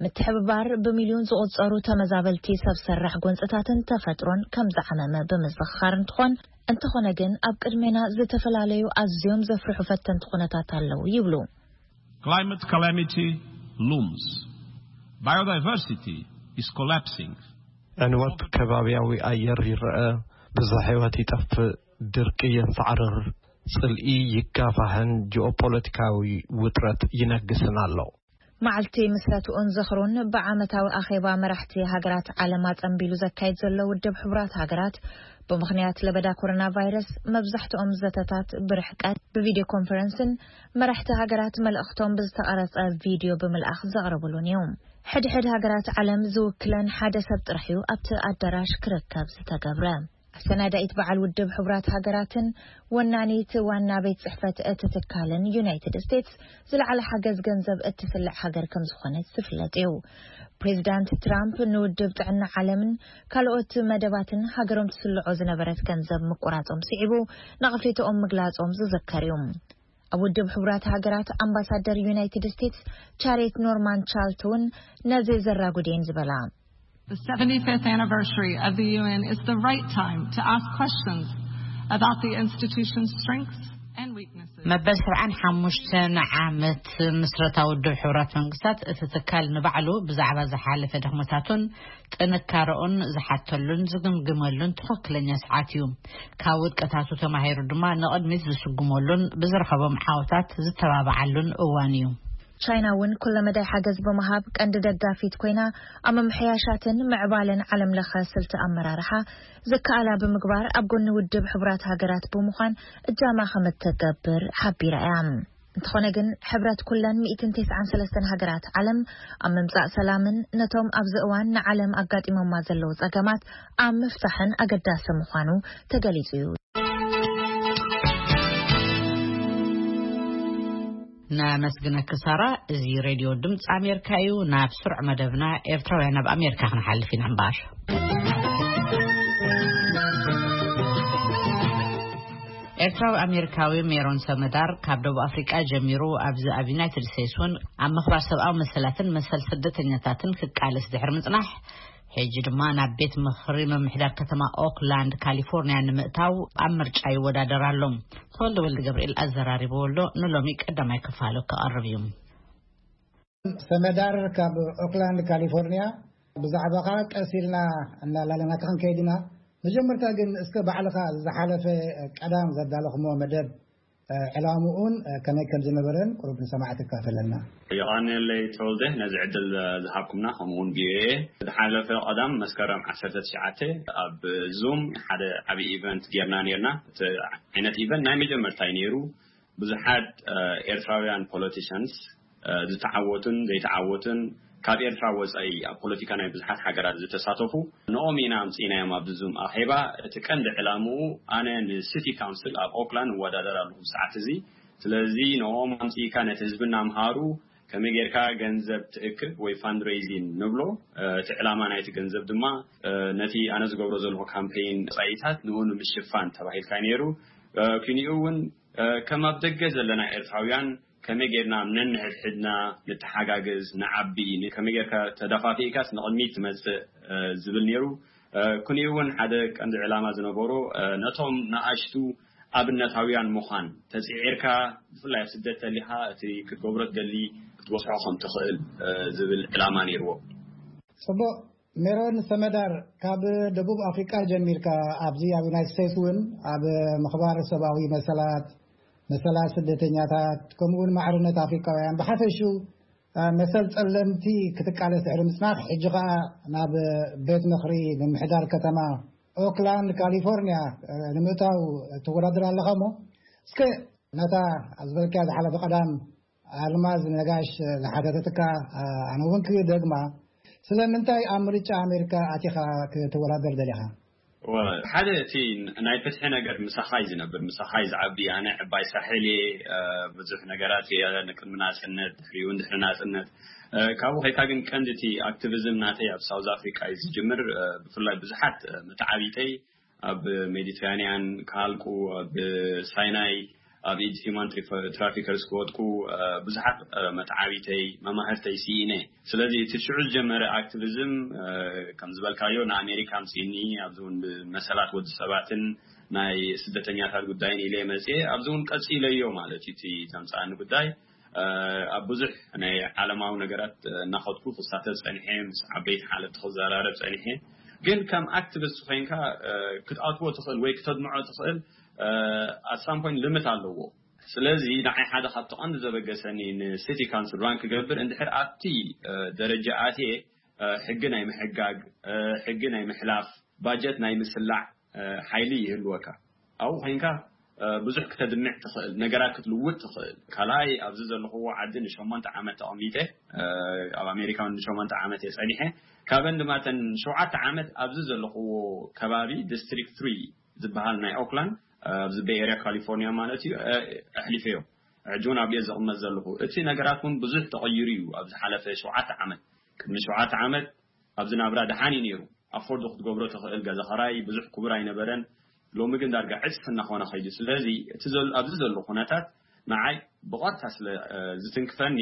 ምትሕብባር ብሚልዮን ዝቑጸሩ ተመዛበልቲ ሰብ ሰራሕ ጎንጽታትን ተፈጥሮን ከም ዝዓመመ ብምዝኽኻር እንትኾን፣ እንተኾነ ግን ኣብ ቅድሜና ዝተፈላለዩ ኣዝዮም ዘፍርሑ ፈተንቲ ኩነታት ኣለዉ ይብሉ። Climate calamity looms. Biodiversity is collapsing. ዕንወት ከባቢያዊ ኣየር ይረአ፣ ብዝሒ ህይወት ይጠፍእ፣ ድርቂ የንሳዕርር፣ ጽልኢ ይጋፋሕን ጂኦፖለቲካዊ ውጥረት ይነግስን ኣሎ። መዓልቲ ምስረትኡን ዝኽሩን ብዓመታዊ ኣኼባ መራሕቲ ሃገራት ዓለም ኣጸንቢሉ ዘካይድ ዘሎ ውድብ ሕቡራት ሃገራት፣ ብምኽንያት ለበዳ ኮሮና ቫይረስ መብዛሕትኦም ዘተታት ብርሕቀት ብቪድዮ ኮንፈረንስን መራሕቲ ሃገራት መልእኽቶም ብዝተቐረጸ ቪድዮ ብምልኣኽ ዘቕርብሉን እዩ። ሕድሕድ ሃገራት ዓለም ዝውክለን ሓደ ሰብ ጥራሕ እዩ ኣብቲ ኣዳራሽ ክርከብ ዝተገብረ። ኣሰናዳኢት በዓል ውድብ ሕቡራት ሃገራትን ወናኒት ዋና ቤት ጽሕፈት እቲ ትካልን ዩናይትድ ስቴትስ ዝለዓለ ሓገዝ ገንዘብ እትስልዕ ሃገር ከም ዝኾነት ዝፍለጥ እዩ። ፕሬዚዳንት ትራምፕ ንውድብ ጥዕና ዓለምን ካልኦት መደባትን ሃገሮም ትስልዖ ዝነበረት ገንዘብ ምቁራጾም ስዒቡ ነቐፌታኦም ምግላጾም ዝዝከር እዩ። ኣብ ውድብ ሕቡራት ሃገራት ኣምባሳደር ዩናይትድ ስቴትስ ቻሬት ኖርማን ቻልት እውን ነዚ ዘራጉድ እየን ዝበላ። The seventy-fifth anniversary of the U N is the right time to ask questions about the institution's strengths and weaknesses. መበል ሰብዓን ሓሙሽተን ዓመት ምስረታ ውድብ ሕቡራት መንግስታት፣ እቲ ትካል ንባዕሉ ብዛዕባ ዝሓለፈ ድኽመታቱን ጥንካረኡን ዝሓተሉን ዝግምግመሉን ትኽክለኛ ሰዓት እዩ። ካብ ውድቀታቱ ተማሂሩ ድማ ንቕድሚት ዝስጉመሉን ብዝረኸቦም ዓወታት ዝተባብዓሉን እዋን እዩ። ቻይና እውን ኩለመዳይ ሓገዝ ብምሃብ ቀንዲ ደጋፊት ኮይና፣ ኣብ ምምሕያሻትን ምዕባለን ዓለም ለኸ ስልቲ ኣመራርሓ ዝከኣላ ብምግባር ኣብ ጎኒ ውድብ ሕቡራት ሃገራት ብምዃን እጃማ ከም እትገብር ሓቢራ እያ። እንተኾነ ግን ሕብረት ኩለን ሚእትን ተስዓን ሰለስተን ሃገራት ዓለም ኣብ ምምጻእ ሰላምን ነቶም ኣብዚ እዋን ንዓለም ኣጋጢሞማ ዘለዉ ጸገማት ኣብ ምፍታሕን ኣገዳሲ ምዃኑ ተገሊጹ እዩ። ነመስግነኪ ሳራ። እዚ ሬድዮ ድምፂ ኣሜሪካ እዩ። ናብ ስሩዕ መደብና ኤርትራውያን ኣብ ኣሜሪካ ክንሓልፍ ኢና እምበኣር። ኤርትራዊ ኣሜሪካዊ ሜሮን ሰመዳር ካብ ደቡብ ኣፍሪቃ ጀሚሩ ኣብዚ ኣብ ዩናይትድ ስቴትስ እውን ኣብ ምኽባር ሰብኣዊ መሰላትን መሰል ስደተኛታትን ክቃለስ ድሕሪ ምጽናሕ፣ ሕጂ ድማ ናብ ቤት ምኽሪ ምምሕዳር ከተማ ኦክላንድ ካሊፎርኒያ ንምእታው ኣብ ምርጫ ይወዳደር ኣሎ። ተወልደ ወልደ ገብርኤል ኣዘራሪብዎ ኣሎ። ንሎሚ ቀዳማይ ክፋሉ ክቐርብ እዩ። ሰመዳር ካብ ኦክላንድ ካሊፎርኒያ፣ ብዛዕባኻ ቀስ ኢልና እናላለናካ ክንከይድ ኢና። መጀመርታ ግን እስከ ባዕልኻ ዝሓለፈ ቀዳም ዘዳለኹሞ መደብ፣ ዕላምኡን ከመይ ከም ዝነበረን ቁሩብ ንሰማዕቲ ካፈለና። የቐንየለይ ተወልደ ነዚ ዕድል ዝሃብኩምና፣ ከምኡ እውን ቪኦኤ። ዝሓለፈ ቀዳም መስከረም ዓሰርተ ትሽዓተ ኣብ ዙም ሓደ ዓብዪ ኢቨንት ጌርና ኔርና። እቲ ዓይነት ኢቨንት ናይ መጀመርታ እዩ ነይሩ። ብዙሓት ኤርትራውያን ፖለቲሽንስ ዝተዓወቱን ዘይተዓወቱን፣ ካብ ኤርትራ ወጻኢ ኣብ ፖለቲካ ናይ ብዙሓት ሃገራት ዝተሳተፉ፣ ንኦም ኢና ኣምጺእናዮም ኣብዚ ዙም ኣኼባ። እቲ ቀንዲ ዕላምኡ ኣነ ንሲቲ ካውንስል ኣብ ኦክላንድ እወዳደር ኣለኹ ሰዓት እዚ። ስለዚ ንኦም ኣምጺእካ ነቲ ህዝብና ምሃሩ፣ ከመይ ጌርካ ገንዘብ ትእክብ ወይ ፋንድሬይዚን ንብሎ። እቲ ዕላማ ናይቲ ገንዘብ ድማ ነቲ ኣነ ዝገብሮ ዘለኹ ካምፔይን ወጻኢታት ንኡ ንምሽፋን ተባሂልካ ነይሩ። ኩኒኡ እውን ከም ኣብ ደገ ዘለና ኤርትራውያን ከመይ ጌርና ነንሕድሕድና ንተሓጋገዝ፣ ንዓቢ፣ ከመይ ጌርካ ተደፋፊእካስ ንቕድሚት ትመጽእ ዝብል ነይሩ። ኩኒኡ እውን ሓደ ቀንዲ ዕላማ ዝነበሮ ነቶም ንኣሽቱ ኣብነታውያን ምዃን፣ ተጽዒርካ ብፍላይ ኣብ ስደት ተሊኻ እቲ ክትገብሮ ትደሊ ክትበጽሖ ከም ትኽእል ዝብል ዕላማ ነይርዎ። ጽቡቕ። ሜሮን ሰመዳር ካብ ደቡብ ኣፍሪቃ ጀሚርካ ኣብዚ ኣብ ዩናይትድ ስቴትስ እውን ኣብ ምኽባር ሰብኣዊ መሰላት፣ መሰላት ስደተኛታት፣ ከምኡ እውን ማዕርነት ኣፍሪቃውያን ብሓፈሹ መሰል ጸለምቲ ክትቃለስ ድሕሪ ምጽናሕ፣ ሕጂ ኸኣ ናብ ቤት ምኽሪ ምምሕዳር ከተማ ኦክላንድ ካሊፎርኒያ ንምእታው ትወዳደር ኣለኻ። እሞ እስከ ነታ ዝበልካያ ዝሓለፈ ቀዳም ኣልማዝ ነጋሽ ዝሓተተትካ ኣነ እውን ክደግማ፣ ስለምንታይ ኣብ ምርጫ ኣሜሪካ ኣቲኻ ክትወዳደር ደሊኻ? ወ-፣ ሓደ እቲ ናይ ፍትሒ ነገር ምሳኻ እዩ ዝነብር፣ ምሳኻ እዩ ዝዓቢ። ኣነ ዕባይ ሳሕል እየ፣ ብዙሕ ነገራት እየ ንቅድሚ ናጽነት፣ ድሕሪኡ እውን ድሕሪ ናጽነት። ካብኡ ከይካ ግን ቀንዲ እቲ ኣክቲቪዝም ናተይ ኣብ ሳውዝ ኣፍሪካ እዩ ዝጅምር። ብፍላይ ብዙሓት መተዓቢተይ ኣብ ሜዲትራኒያን ክሃልቁ፣ ኣብ ሳይናይ ኣብ ኢድ ሂማን ትሪፈ-፣ ትራፊከርስ ክወድቁ፣ ብዙሓት መተዓቢተይ መማህርተይ ስኢነ። ስለዚ እቲ ሽዑ ዝጀመረ ኣክቲቪዝም፣ ከም ዝበልካዮ ንኣሜሪካ ኣምጺእኒ፣ ኣብዚ እውን መሰላት ወዲ ሰባትን ናይ ስደተኛታት ጉዳይን ኢለ መጽኤ፣ ኣብዚ እውን ቀጺለዮ ማለት እዩ እቲ ዘምጻእኒ ጉዳይ። ኣብ ብዙሕ ናይ ዓለማዊ ነገራት እናኸድኩ ክሳተፍ ጸኒሐ፣ ምስ ዓበይቲ ሓለፍቲ ክዘራረብ ጸኒሐ። ግን ከም ኣክቲቪስት ኮይንካ ክትኣትዎ ትኽእል ወይ ክተድምዖ ትኽእል ኣሳምፖይንት ልምት ኣለዎ። ስለዚ ንዓይ ሓደ ካብቲ ቀንዲ ዘበገሰኒ ንሲቲ ካውንስል ራን ክገብር እንድሕር ኣብቲ ደረጃ ኣትየ ሕጊ ናይ ምሕጋግ፣ ሕጊ ናይ ምሕላፍ፣ ባጀት ናይ ምስላዕ ሓይሊ ይህልወካ። ኣብኡ ኮይንካ ብዙሕ ክተድምዕ ትኽእል፣ ነገራት ክትልውጥ ትኽእል። ካልኣይ ኣብዚ ዘለኹዎ ዓዲ ንሸሞንተ ዓመት ተቐሚጠ፣ ኣብ ኣሜሪካ ንሸሞንተ ዓመት እየ ጸኒሐ። ካብን ድማ ተን ሸውዓተ ዓመት ኣብዚ ዘለኹዎ ከባቢ ዲስትሪክት ትሪ ዝበሃል ናይ ኦክላንድ፣ ኣብዚ ቤይ ኤርያ ካሊፎርኒያ ማለት እዩ፣ ኣሕሊፈዮ። ሕጂ እውን ኣብየ ዝቕመጥ ዘለኹ። እቲ ነገራት እውን ብዙሕ ተቐይሩ እዩ ኣብ ዝሓለፈ ሸውዓተ ዓመት። ቅድሚ ሸውዓተ ዓመት ኣብዚ ናብራ ደሓን እዩ ነይሩ። ኣፎርድ ክትገብሮ ትኽእል ገዛ ኸራይ ብዙሕ ክቡር ኣይነበረን። ሎሚ ግን ዳርጋ ዕፅፊ እናኾነ ኸይዱ። ስለዚ እቲ ዘሎ ኣብዚ ዘሎ ኩነታት ንዓይ ብቐጥታ ስለ ዝትንክፈኒ፣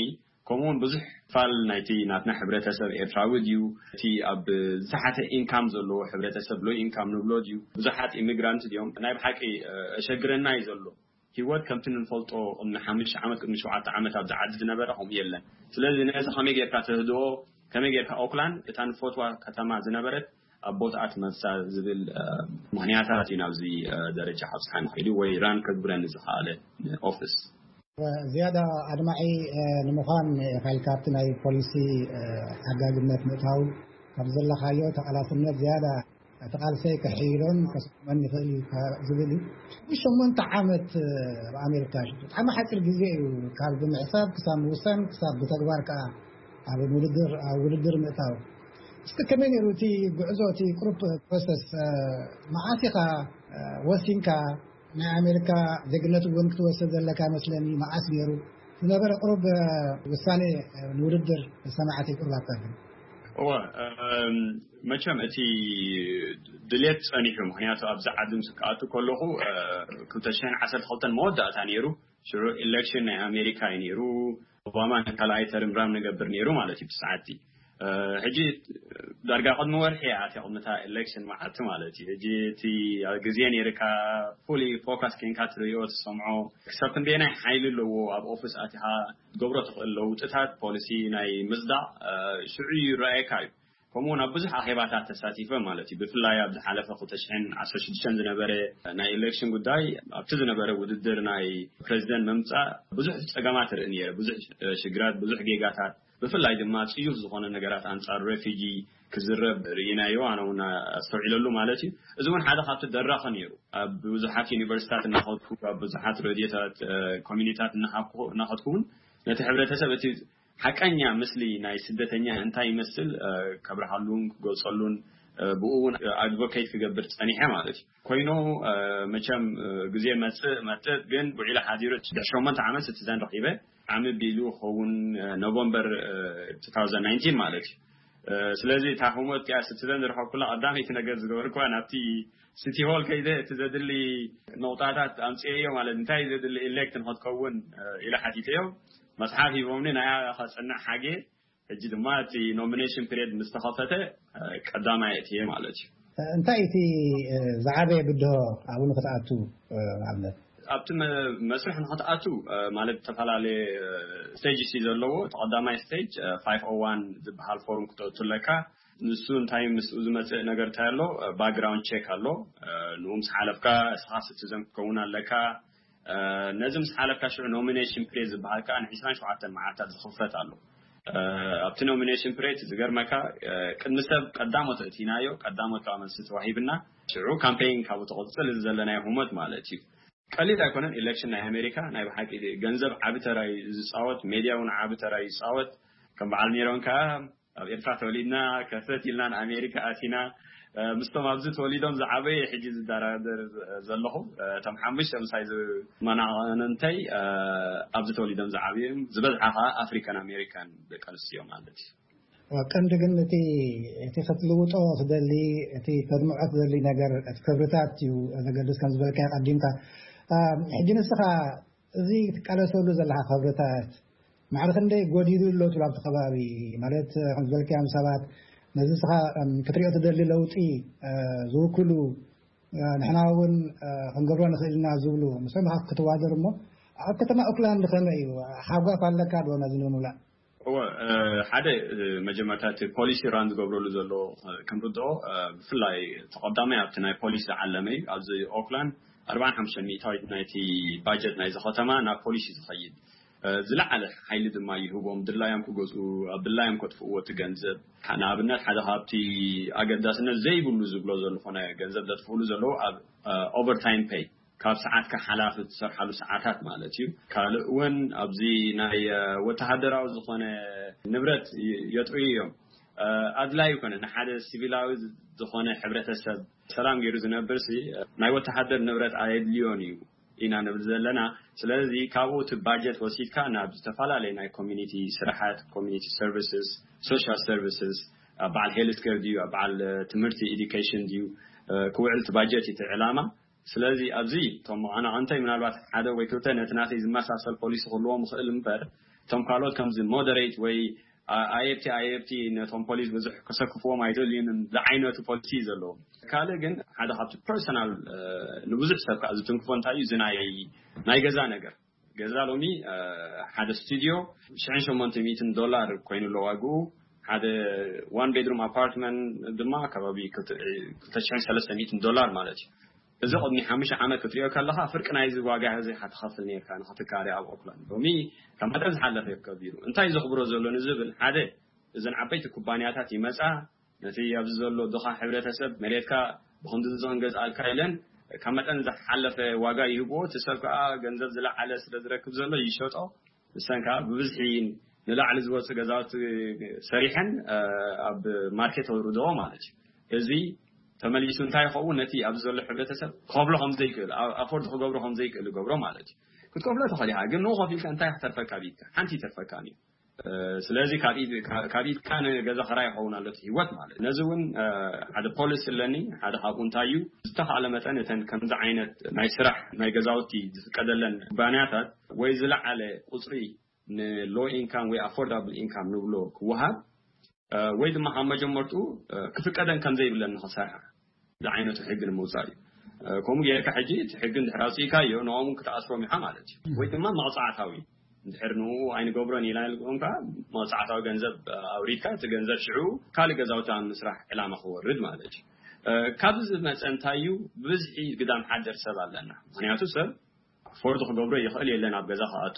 ከምኡውን ብዙሕ ክፋል ናይቲ ናትና ሕብረተሰብ ኤርትራዊ ድዩ፣ እቲ ኣብ ዝተሓተ ኢንካም ዘለዎ ሕብረተሰብ፣ ሎ ኢንካም ንብሎ ድዩ፣ ብዙሓት ኢሚግራንት ድዮም፣ ናይ ብሓቂ ኣሸግረና እዩ ዘሎ። ሂወት ከምቲ ንፈልጦ ቅድሚ ሓሙሽተ ዓመት ቅድሚ ሸውዓተ ዓመት ኣብዚ ዓዲ ዝነበረ ከምኡ የለን። ስለዚ ነዚ ከመይ ጌርካ ተህድኦ፣ ከመይ ጌርካ ኦክላንድ እታ ንፈትዋ ከተማ ዝነበረት ኣብ ቦታኣ ትመልሳ ዝብል ምኽንያታት እዩ ናብዚ ደረጃ ካብፅሓ ንኽእል ወይ ራን ከግብረኒ ዝኸኣለ ኦፊስ። ዝያዳ ኣድማዒ ንምዃን ኢኻ ኢልካ ኣብቲ ናይ ፖሊሲ ሓጋግነት ምእታው ካብ ዘለኻዮ ተቓላስነት ዝያዳ እቲ ቃልሰይ ክሕይሎን ከስመን ይኽእል እዩ ዝብል እዩ። ሸሞንተ ዓመት ኣብ ኣሜሪካ ብጣዕሚ ሓፂር ግዜ እዩ፣ ካብ ብምሕሳብ ክሳብ ምውሳን ክሳብ ብተግባር ከዓ ኣብ ውድድር ኣብ ውድድር ምእታው። እስከ ከመይ ነይሩ እቲ ጉዕዞ፣ እቲ ቅሩብ ፕሮሰስ? መዓስ ኢኻ ወሲንካ ናይ ኣሜሪካ ዜግነት እውን ክትወስድ ዘለካ መስለኒ? መዓስ ነይሩ ዝነበረ ቅሩብ ውሳኔ ንውድድር ሰማዕቲ ቅሩብ ኣካፍል። እወ፣ መቸም እቲ ድሌት ጸኒሑ፣ ምኽንያቱ ኣብዚ ዓዲ ምስ ክኣቱ ከለኹ ክልተ ሽሕን ዓሰርተ ክልተን መወዳእታ ነይሩ። ሽዑ ኢሌክሽን ናይ ኣሜሪካ እዩ ነይሩ። ኦባማ ንካልኣይ ተርም ራን ንገብር ነይሩ ማለት እዩ ብሰዓቲ። ሕጂ ዳርጋ ቅድሚ ወርሒ እያ ኣትያ ቅድሚ እታ ኤሌክሽን መዓልቲ ማለት እዩ። ሕጂ እቲ ግዜ ነይርካ ፉሊ ፎካስ ኬንካ ትርእዮ ትሰምዖ ክሳብ ክንደየናይ ሓይሊ ኣለዎ ኣብ ኦፊስ ኣቲኻ ትገብሮ ትኽእል ለውጥታት ፖሊሲ ናይ ምጽዳቕ ሽዑ ይረኣየካ እዩ። ከምኡውን ኣብ ብዙሕ ኣኼባታት ተሳቲፈ ማለት እዩ። ብፍላይ ኣብ ዝሓለፈ ክልተ ሽሕን ዓሰርተ ሽዱሽተን ዝነበረ ናይ ኤሌክሽን ጉዳይ ኣብቲ ዝነበረ ውድድር ናይ ፕሬዚደንት ምምጻእ ብዙሕ ጸገማት ርኢ ነይረ። ብዙሕ ሽግራት፣ ብዙሕ ጌጋታት፣ ብፍላይ ድማ ጽዩፍ ዝኾነ ነገራት ኣንጻር ሬፊጂ ክዝረብ ርኢናዮ፣ ኣነ እውን ኣስተውዒለሉ ማለት እዩ። እዚ እውን ሓደ ካብቲ ደራኺ ነይሩ። ኣብ ብዙሓት ዩኒቨርሲታት እናኸድኩ፣ ኣብ ብዙሓት ሬድዮታት ኮሚኒታት እናኸድኩ እውን ነቲ ሕብረተሰብ እቲ ሓቀኛ ምስሊ ናይ ስደተኛ እንታይ ይመስል ከብርሃሉን ክገልጸሉን ብኡ እውን ኣድቮኬት ክገብር ጸኒሐ ማለት እዩ። ኮይኑ መቸም ግዜ መጽእ መጥእ ግን ውዒሉ ሓዲሩ ድሕሪ ሸሞንተ ዓመት ሲቲዘን ረኺበ። ዓሚ ቢሉ ክኸውን ኖቨምበር two thousand nineteen ማለት እዩ። ስለዚ እታ ህሞት እቲኣ ሲቲዘን ዝረኸብኩላ ቀዳመይቲ ነገር ዝገበርኩዋ ናብቲ ሲቲ ሆል ከይደ እቲ ዘድሊ ነቑጣታት ኣምፅኤዮ ማለት እንታይ እዩ ዘድሊ ኢሌክት ንክትከውን ኢለ ሓቲተዮም። መፅሓፍ ሂቦምኒ ናያ ከፅንዕ ሓጌ። ሕጂ ድማ እቲ ኖሚኔሽን ፒሪየድ ምስ ተኸፈተ ቀዳማይ እትየ ማለት እዩ። እንታይ እቲ ዝዓበየ ብድሆ ኣብኡ ንክትኣቱ ንኣብነት? ኣብቲ መስርሕ ንክትኣቱ ማለት ዝተፈላለየ ስቴጅ ሲ ዘለዎ ተቀዳማይ ስቴጅ ፋይቭ ኦ ዋን ዝበሃል ፎርም ክተእቱ ኣለካ። ንሱ እንታይ ምስኡ ዝመፅእ ነገር እንታይ ኣሎ? ባክግራውንድ ቼክ ኣሎ። ንኡ ምስ ሓለፍካ እስኻ ሲቲዘን ክትከውን ኣለካ። ነዚ ምስ ሓለፍካ ሽዑ ኖሚኔሽን ፕሬስ ዝበሃል ከዓ ንዒስራን ሸውዓተን መዓልታት ዝኽፈት ኣሎ። ኣብቲ ኖሚኔሽን ፕሬስ ዝገርመካ ቅድሚ ሰብ ቀዳሞት እቲናዮ ቀዳሞት ከዓ መልሲ ተዋሂብና ሽዑ ካምፔይን ካብኡ ተቕፅል እዚ ዘለናዮ ህሞት ማለት እዩ። ቀሊል ኣይኮነን። ኢሌክሽን ናይ ኣሜሪካ ናይ ብሓቂ ገንዘብ ዓቢ ተራ እዩ ዝፃወት፣ ሜድያ እውን ዓቢ ተራ እዩ ዝፃወት። ከም በዓል ሜሮን ከዓ ኣብ ኤርትራ ተወሊድና ከፈት ኢልና ንኣሜሪካ ኣቲና ምስቶም ኣብዚ ተወሊዶም ዝዓበየ ሕጂ ዝደራደር ዘለኹ እቶም ሓሙሽተ ምሳይ ዝመናቐንንተይ ኣብዚ ተወሊዶም ዝዓብዩ እዮም። ዝበዝሓ ከዓ ኣፍሪካን ኣሜሪካን ደቂ ኣንስትዮ ማለት እዩ። ቀንዲ ግን እቲ እቲ ክትልውጦ ትደሊ እቲ ተድምዖ ትደሊ ነገር እቲ ክብርታት እዩ ዘገድስ ከም ዝበልካ ቀዲምካ። ሕጂ ንስኻ እዚ ትቃለሰሉ ዘለካ ክብርታት ማዕረ ክንደይ ጎዲሉ ኣሎ ትብሉ ኣብቲ ከባቢ ማለት ከም ዝበልካዮም ሰባት ነዚ ስኻ ክትሪኦ ትደሊ ለውጢ ዝውክሉ ንሕና እውን ክንገብሮ ንኽእል ኢና ዝብሉ ምስኦም ክትዋደር እሞ ኣብ ከተማ ኦክላንድ ከመይ እዩ ሓጓፍ ኣለካ ዶ ነዚ ንምምላእ? እወ፣ ሓደ መጀመርታ እቲ ፖሊሲ ራን ዝገብረሉ ዘሎ ክንርድኦ ብፍላይ ተቐዳማይ ኣብቲ ናይ ፖሊሲ ዝዓለመ እዩ። ኣብዚ ኦክላንድ ኣርባዓን ሓሙሽተ ሚእታዊት ናይቲ ባጀት ናይዚ ከተማ ናብ ፖሊሲ ዝኸይድ። ዝለዓለ ሓይሊ ድማ ይህቦም። ድላዮም ክገዝኡ፣ ኣብ ድላዮም ከጥፍእዎ እቲ ገንዘብ። ንኣብነት፣ ሓደ ካብቲ ኣገዳስነት ዘይብሉ ዝብሎ ዘሎ ኮነ ገንዘብ ዘጥፍእሉ ዘለዉ ኣብ ኦቨርታይም ፔይ፣ ካብ ሰዓትካ ሓላፊ ትሰርሓሉ ሰዓታት ማለት እዩ። ካልእ እውን ኣብዚ ናይ ወተሃደራዊ ዝኾነ ንብረት የጥርዩ እዮም። ኣድላይ ይኮነ ንሓደ ሲቪላዊ ዝኾነ ሕብረተሰብ ሰላም ገይሩ ዝነብር ሲ ናይ ወተሃደር ንብረት ኣየድልዮን እዩ ኢና ንብል ዘለና። ስለዚ ካብኡ እቲ ባጀት ወሲድካ ናብ ዝተፈላለዩ ናይ ኮሚኒቲ ስራሓት፣ ኮሚኒቲ ሰርቪስስ፣ ሶሻል ሰርቪስስ፣ በዓል ሄልት ኬር ድዩ፣ በዓል ትምህርቲ፣ ኤዱኬሽን ድዩ ክውዕል እቲ ባጀት እዩ እቲ ዕላማ። ስለዚ ኣብዚ እቶም መቐናቐንተይ ምናልባት ሓደ ወይ ክልተ ነቲ ናተይ ዝመሳሰል ፖሊሲ ክህልዎም ይኽእል እምበር፣ እቶም ካልኦት ከምዚ ሞደሬት ወይ ኣየብቲ ኣየብቲ ነቶም ፖሊስ ብዙሕ ከሰክፍዎም ኣይደልዩን ዝዓይነቱ ፖሊሲ እዩ ዘለዎም። ካልእ ግን ሓደ ካብቲ ፐርሰናል ንብዙሕ ሰብ ከዓ ዝትንክፎ እንታይ እዩ፣ እዚ ናይ ናይ ገዛ ነገር። ገዛ ሎሚ ሓደ ስቱዲዮ ሽሕን ሸሞንተ ሚእትን ዶላር ኮይኑ ኣሎ ዋግኡ። ሓደ ዋን ቤድሩም ኣፓርትመንት ድማ ከባቢ ክልተ ሽሕን ሰለስተ ሚእትን ዶላር ማለት እዩ። እዚ ቅድሚ ሓሙሽተ ዓመት ክትሪኦ ከለኻ ፍርቂ ናይዚ ዋጋ እዚ ኢኻ ትኸፍል ነርካ ንኽትካረ ኣብ ኦክላንድ። ሎሚ ካብ መጠን ዝሓለፈ እዩ ከቢሩ። እንታይ ዘኽብሮ ዘሎ ንዝብል፣ ሓደ እዘን ዓበይቲ ኩባንያታት ይመጻ፣ ነቲ ኣብዚ ዘሎ ድኻ ሕብረተሰብ መሬትካ ብኽንዲ እዚ ክንገዝኣልካ ኢለን ካብ መጠን ዝሓለፈ ዋጋ ይህብዎ። እቲ ሰብ ከዓ ገንዘብ ዝለዓለ ስለ ዝረክብ ዘሎ ይሸጦ። ንሰን ከዓ ብብዝሒ ንላዕሊ ዝወፁ ገዛውቲ ሰሪሐን ኣብ ማርኬት ኣውርድኦ ማለት እዩ። እዚ ተመሊሱ እንታይ ይኸውን? ነቲ ኣብዚ ዘሎ ሕብረተሰብ ክኸፍሎ ከም ዘይክእል፣ ኣፎርድ ክገብሮ ከም ዘይክእል ይገብሮ ማለት እዩ። ክትከፍሎ ትኽእል ኢኻ፣ ግን ንኡ ከፊልካ እንታይ ክትተርፈካ ቢትካ ሓንቲ ይተርፈካ እዩ። ስለዚ ካብ ኢድካ ንገዛ ኸራይ ይኸውን ኣሎ እቲ ህይወት ማለት እዩ። ነዚ እውን ሓደ ፖሊሲ ኣለኒ። ሓደ ካብኡ እንታይ እዩ፣ ዝተኻእለ መጠን እተን ከምዚ ዓይነት ናይ ስራሕ ናይ ገዛውቲ ዝፍቀደለን ኩባንያታት ወይ ዝለዓለ ቁፅሪ ንሎ ኢንካም ወይ ኣፎርዳብል ኢንካም ንብሎ ክወሃብ፣ ወይ ድማ ካብ መጀመርቱ ክፍቀደን ከም ዘይብለን ንኽሰርሓ ዝዓይነቱ ሕጊ ንምውፃእ እዩ። ከምኡ ጌርካ ሕጂ እቲ ሕጊ እንድሕር ኣውፅእካዮ ንኦም ክትኣስሮም ኢኻ ማለት እዩ። ወይ ድማ መቕፃዕታዊ እንድሕር ንኡ ኣይንገብሮን ኢላ ኢልኩም ከዓ መቕፃዕታዊ ገንዘብ ኣውሪድካ እቲ ገንዘብ ሽዑ ካልእ ገዛውቲ ኣብ ምስራሕ ዕላማ ክወርድ ማለት እዩ። ካብዚ ዝመፀ እንታይ እዩ፣ ብብዝሒ ግዳም ሓደር ሰብ ኣለና። ምክንያቱ ሰብ ኣፎርድ ክገብሮ ይኽእል የለን ኣብ ገዛ ክኣቱ።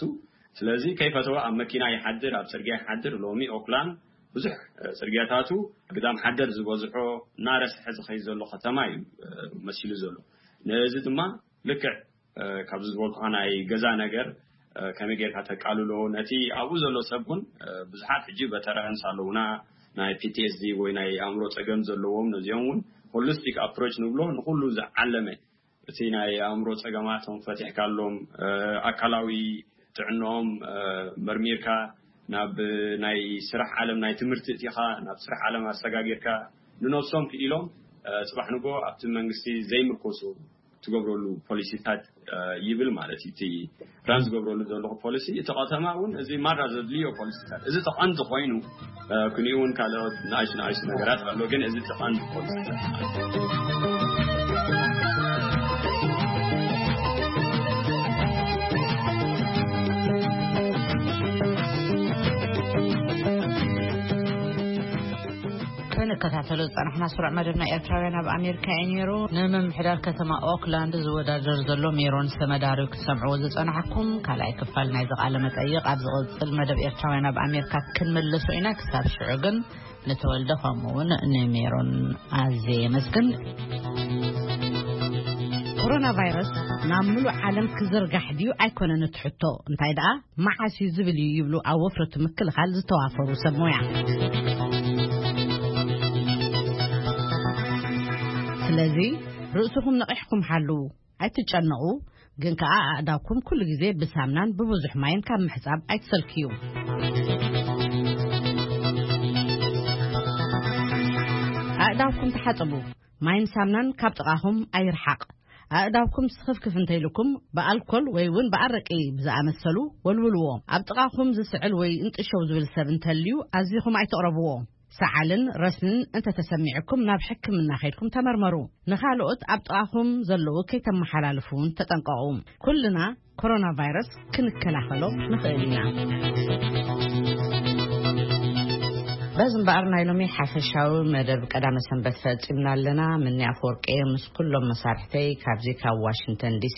ስለዚ ከይፈተወ ኣብ መኪና ይሓድር፣ ኣብ ፅርግያ ይሓድር። ሎሚ ኦክላንድ ብዙሕ ፅርግያታቱ ግዳም ሓደር ዝበዝሖ እናረስሐ ዝኸይድ ዘሎ ከተማ እዩ መሲሉ ዘሎ። ነዚ ድማ ልክዕ ካብዚ ዝበልኩኻ ናይ ገዛ ነገር ከመይ ጌርካ ተቃልሎ፣ ነቲ ኣብኡ ዘሎ ሰብ እውን ብዙሓት ሕጂ ቨተራንስ ኣለውና፣ ናይ ፒ ቲ ኤስ ዲ ወይ ናይ ኣእምሮ ፀገም ዘለዎም፣ ነዚኦም እውን ሆሊስቲክ ኣፕሮች ንብሎ፣ ንኩሉ ዝዓለመ እቲ ናይ ኣእምሮ ጸገማቶም ፈቲሕካሎም፣ ኣካላዊ ጥዕንኦም መርሚርካ፣ ናብ ናይ ስራሕ ዓለም ናይ ትምህርቲ እቲኻ፣ ናብ ስራሕ ዓለም ኣሰጋጊርካ፣ ንነብሶም ክኢሎም ጽባሕ ንጎ ኣብቲ መንግስቲ ዘይምርኮሱ ትገብረሉ ፖሊሲታት ይብል ማለት እዩ። እቲ ራን ዝገብረሉ ዘለኹ ፖሊሲ፣ እቲ ከተማ እውን እዚ ማራ ዘድልዮ ፖሊሲታት፣ እዚ ተቐንዲ ኮይኑ፣ ክንኡ እውን ካልኦት ንኣሽ ንኣሽ ነገራት ኣሎ፣ ግን እዚ ተቐንዲ ፖሊሲታት። ክንከታተሎ ዝጸናሕና ስሩዕ መደብና ኤርትራውያን ኣብ ኣሜሪካ እዩ ነይሩ። ንምምሕዳር ከተማ ኦክላንድ ዝወዳደር ዘሎ ሜሮን ዝተመዳርዩ ክትሰምዕዎ ዝጸናሕኩም ካልኣይ ክፋል ናይዚ ቃለ መጠይቕ ኣብ ዝቕጽል መደብ ኤርትራውያን ኣብ ኣሜሪካ ክንምልሶ ኢና። ክሳብ ሽዑ ግን ንተወልደ ከምኡ እውን ንሜሮን ኣዝየ የመስግን። ኮሮና ቫይረስ ናብ ምሉእ ዓለም ክዝርጋሕ ድዩ ኣይኮነን እቲ ሕቶ፣ እንታይ ደኣ መዓስ እዩ ዝብል እዩ ይብሉ ኣብ ወፍረቱ ምክልኻል ዝተዋፈሩ ሰብ ሞያ። ስለዚ ርእስኹም ነቒሕኩም ሓልዉ፣ ኣይትጨነቑ፣ ግን ከኣ ኣእዳውኩም ኩሉ ግዜ ብሳምናን ብብዙሕ ማይን ካብ ምሕጻብ ኣይትሰልክዩ። ኣእዳውኩም ተሓጸቡ፣ ማይን ሳምናን ካብ ጥቓኹም ኣይርሓቕ። ኣእዳውኩም ስኽፍክፍ እንተኢልኩም ብኣልኮል ወይ እውን ብኣረቂ ብዝኣመሰሉ ወልውልዎ። ኣብ ጥቓኹም ዝስዕል ወይ እንጥሸው ዝብል ሰብ እንተልዩ ኣዚኹም ኣይትቕረብዎ። ሰዓልን ረስንን እንተተሰሚዕኩም ናብ ሕክምና ከይድኩም ተመርመሩ። ንኻልኦት ኣብ ጥቓኹም ዘለዉ ከይተመሓላልፉ እውን ተጠንቀቑ። ኩልና ኮሮና ቫይረስ ክንከላኸሎ ንኽእል ኢና። በዚ እምበኣር ናይ ሎሚ ሓፈሻዊ መደብ ቀዳመ ሰንበት ፈጺምና ኣለና። ምኒ ኣፈወርቂ ምስ ኩሎም መሳርሕተይ ካብዚ ካብ ዋሽንግተን ዲሲ